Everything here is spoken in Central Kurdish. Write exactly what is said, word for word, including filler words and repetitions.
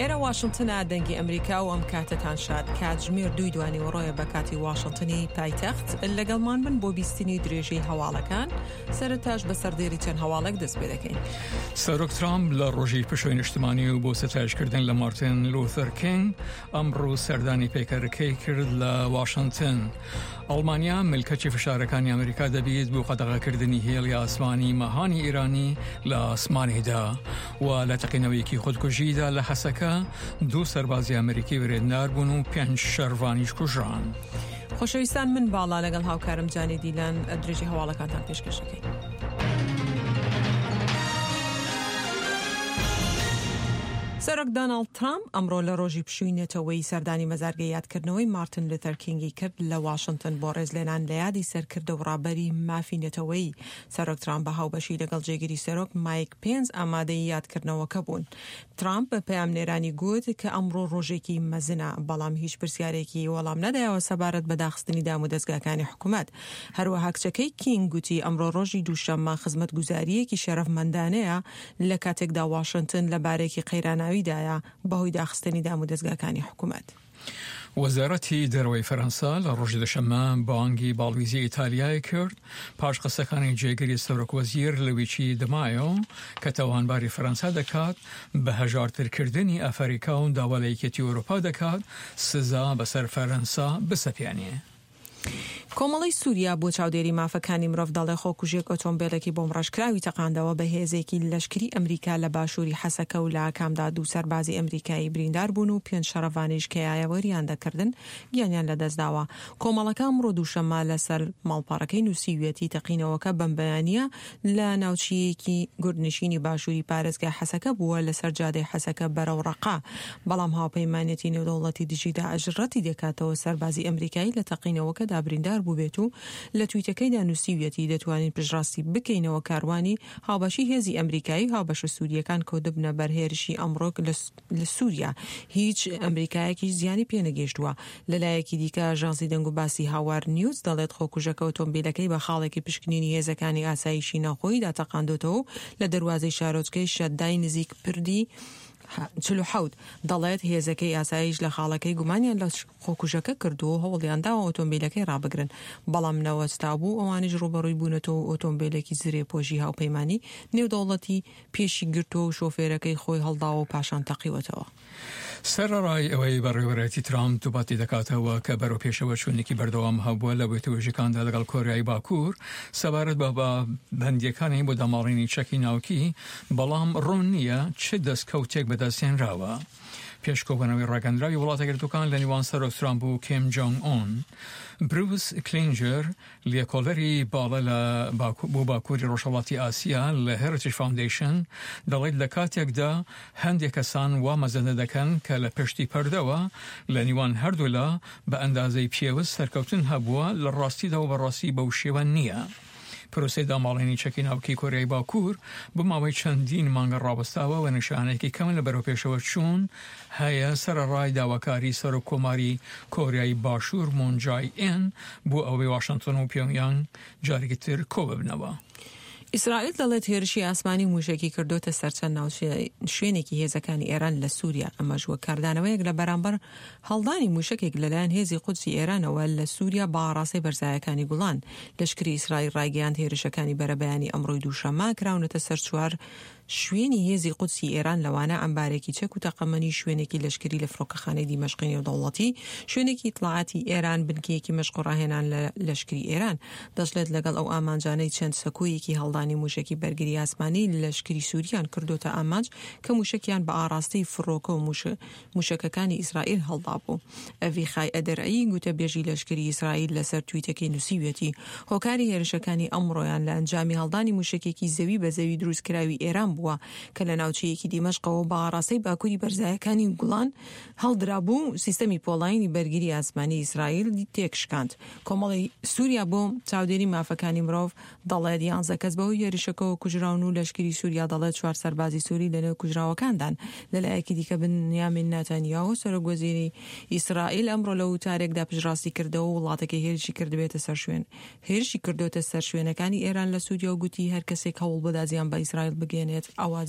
ئێرە واشنتنە، دەنگی ئەمریکا و ئەم کاتەتان شاد. کاتژمێر دووی دوانیوەڕۆیە بە کاتی واشنتنی پایتەخت. لەگەڵمان بن بۆ بیستنی درێژەی هەواڵەکان. سەرەتاش بە سەردێری چەند هەواڵێک دەست پێ دەکەین. سەرۆک ترامپ لە ڕۆژی پشووی نیشتمانی و بۆ ستایشکردن لە مارتن لوثەر کینگ ئەمڕۆ سەردانی پەیکەرەکەی کرد لە واشنتن. ئەڵمانیا ملکەچی فشارەکانی ئەمریکا دەبیت بۆ قەدەغەکردنی هێڵی ئاسمانی مەهانی ئێرانی لە ئاسمانیدا و لە تەقینەوەیەکی خودکوژیدا لە حەسەکە دوو سەربازی ئەمریکی بریندار بوون و پێنج شەرڤانیش کوژران. خۆشەویستان، من باڵا لەگەڵ هاوکارم جانی دیلان درێژی هەواڵەکانتان پێشکەش دەکەین. سەرۆک دۆناڵد ترامپ ئەمڕۆ لە ڕۆژی پشووی نەتەوەیی سەردانی مەزارگەی یادکردنەوەی مارتن لوثەر کینگی کرد لە واشنتن بۆ ڕێزلێنان لە یادی سەرکردە و ڕابەری مافی نەتەوەیی. سەرۆک ترامپ بە هاوبەشی لەگەڵ جێگری سەرۆک مایک پێنس ئامادەی یادکردنەوەکە بوون. ترامپ بە پەیامنێرانی گوت کە ئەمڕۆ ڕۆژێکی مەزنە، بەڵام هیچ پرسیارێکی وەڵام نەدایەوە سەبارەت بە داخستنی دامودەزگاکانی حکوومەت. هەروەها کچەکەی کینگ گوتی ئەمڕۆ ڕۆژی دووشەممە خزمەتگوزارییەکی شەرەفمەندانەیە لە کاتێکدا واشنتن لە بارێکی قەیراناویدایە بەهۆی داخستنی دامودەزگاکانی حکوومەت. وەزارەتی دەرەوەی فەرەنسا لە ڕۆژی دوشەممە بانگی باڵویزی ئیتالیای کرد پاش قسەکانی جێگری سەرۆک وەزیر لویچی دمایۆ کە تاوانباری فەرەنسا دەکات بە هەژارترکردنی ئەفەریکا و داوا لە یەکێتی ئەوروپا دەکات سزا بەسەر فەرەنسا بسەپێنێ. کۆمەڵەی سووریا بۆ چاودێری مافەکانی مرۆڤ دەڵێ خۆکوژێک ئۆتۆمبیلێکی بۆمڕەشکراوی تەقاندەوە بە هێزێکی لەشکری ئەمریکا لە باشووری حەسەکە و لە ئاکامدا دوو سەربازی ئەمریکایی بریندار بوون و پێنج شەڕەڤانیش کە یاوەریان دەکردن گیانیان لەدەستداوە. کۆمەڵەکە ئەمڕۆ دووشەممە لەسەر ماڵپەڕەکەی نووسیویەتی تەقینەوەکە بەم بەیانییە لە ناوچەیەکی گوندنشینی باشووری پارێزگای حەسەکە بووە لەسەر جادەی حەسەکە بەرەو ڕەقا، بەڵام هاوپەیمانێتی نێودەوڵەتی دژی داعش ڕەتی دەکاتەوە سەربازی ئەمریکایی لە تەقینەوەکەدا بریندار بووبێت و لە تویتەکەیدا نووسیویەتی دەتوانین پشتڕاستی بکەینەوە کاروانی هاوبەشی هێزی ئەمریکایی و هاوبەشە سووریەکان کەوتبنە بەر هێرشی ئەمڕۆ لە سووریا، هیچ ئەمریکایەکیش زیانی پێنەگەیشتووە. لەلایەکی دیکە ئاژانسی دەنگوباسی هاوار نیوز دەڵێت خۆکوژەکە ئۆتۆمبیلەکەی بە خاڵێکی پشکنینی هێزەکانی ئاسایشی ناوخۆییدا تەقاندۆتەوە و لە دەروازەی شارۆچکەی شەدای نزیک پردی چل و حەوت دەڵێت هێزەکەی ئاسایش لە خاڵەکەی گومانیان لە خۆکوژەکە کردووە و هەوڵیان داوە ئۆتۆمبیلەکەی ڕابگرن، بەڵام نەوەستابوو، ئەوانیش ڕووبەڕووی بوونەتەوە و ئۆتۆمبیلێکی زرێپۆشی هاوپەیمانی نێودەوڵەتی پێشی گرتووە و شۆفێرەکەی خۆی هەڵداوە و پاشان تەقیوەتەوە. سەرەڕای ئەوەی بەڕێوەبەرایەتی ترامپ دووپاتی دەکاتەوە کە بەرەو پێشەوەچوونێکی بەردەوام هەبووە لە وتوێژەکاندا لەگەڵ کۆریای باکوور سەبارەت بە پابەندییەکانی بۆ داماڵینی چەکی ناوکی، بەڵام ڕوون نییە چ دەستکەوتێک بەدەستهێنراوە. پێش کۆبوونەوەی ڕاگەندراوی وڵاتە یەکگرتووەکان لە نێوان سەرۆک ترامپ و کیم جۆنگ ئون، بروس کلینجەر لێکۆڵەری باڵا لە بۆ باکووری ڕۆژهەڵاتی ئاسیا لە هێریتج فاوندەیشن دەڵێت لە کاتێکدا هەندێک کەسان وا مەزەندە دەکەن کە لە پشتی پەردەوە لە نێوان هەردوولا بە ئەندازەی پێوست سەرکەوتن هەبووە، لە ڕاستیدا و بەڕاستی بەو شێوە نییە. پرۆسەی داماڵینی چەکی ناوکی کۆریای باکوور بۆ ماوەی چەندین مانگە ڕاوەستاوە و نیشانەیەکی کەم لە بەرەوپێشەوەچوون هەیە، سەرەڕای داواکاری سەرۆک کۆماری کۆریای باشوور مون جای ئین بۆ ئەوەی واشنتۆن و پیۆنگیانگ جارێکی تر کۆببنەوە. ئیسرائیل دەڵێت هێرشی ئاسمانی و مووشەکی کردۆتە سەر چەند شوێنێکی هێزەکانی ئێران لە سووریا، ئەمەش وەک کاردانەوەیەک لە بەرامبەر هەڵدانی مووشەکێک لەلایەن هێزی قودسی ئێرانەوە لە سووریا بە ئاڕاستەی بەرزایەکانی گوڵان. لەشکری ئیسرائیل ڕایگەیاند هێرشەکانی بەرەبەیانی ئەمڕۆی دووشەممە کراونەتە سەر چوار شوێنی هێزی قودسی ئێران لەوانە عەمبارێکی چەک و تەقەمەنی، شوێنێکی لەشکری لە فڕۆکەخانەی دیمەشقی نێودەوڵەتی، شوێنێکی ئیتڵاعاتی ئێران، بنکەیەکی مەشق و ڕاهێنان لە لەشکری ئێران. دەشڵێت لەگەڵ ئەو ئامانجانەی چەند سەکۆیەکی هەڵدانی مووشەکی بەرگری ئاسمانی لەشکری سووریان کردۆتە ئامانج کە مووشەکیان بە ئاڕاستەی فڕۆکە و مووشەکەکانی ئیسرائیل هەڵدابوو. ئەڤیخای ئەدرعی گوتەبێژی لەشکری ئیسرائیل لەسەر تویتەکەی نووسیویەتی هۆکاری هێرشەکانی ئەمڕۆیان لە ئەنجامی هەڵدانی مووشەکێکی زەوی بە زەوی دروستکراوی ئێران بووە کە لە ناوچەیەکی دیمەشقەوە بە ئاڕاستەی باکووری بەرزایەکانی گوڵان هەڵدرابوو، سیستەمی پۆڵایینی بەرگری ئاسمانی ئیسرائیل تێکشکاند. کۆمەڵەی سووریا بۆ چاودێری مافەکانی مرۆڤ دەڵێت یانزە کەس بەهۆی هێرشەکەوە کوژراون و لەشکری سووریا دەڵێت چوار سەربازی سووری لەنێو کوژراوەکاندان. لەلایەکی دیکە بنیامین ناتانیاهۆ سەرۆک وەزیری ئیسرائیل ئەمڕۆ لە وتارێکدا پشتڕاستی کردەوە وڵاتەکەی هێرشی کردبێتە سەر شوێن هێرشی کردۆتە سەر شوێنەکانی ئێران لە سووریا و گوتی هەر کەسێک هەوڵ بدا زیان بە ئیسرائیل بگەیەنێت ئەوا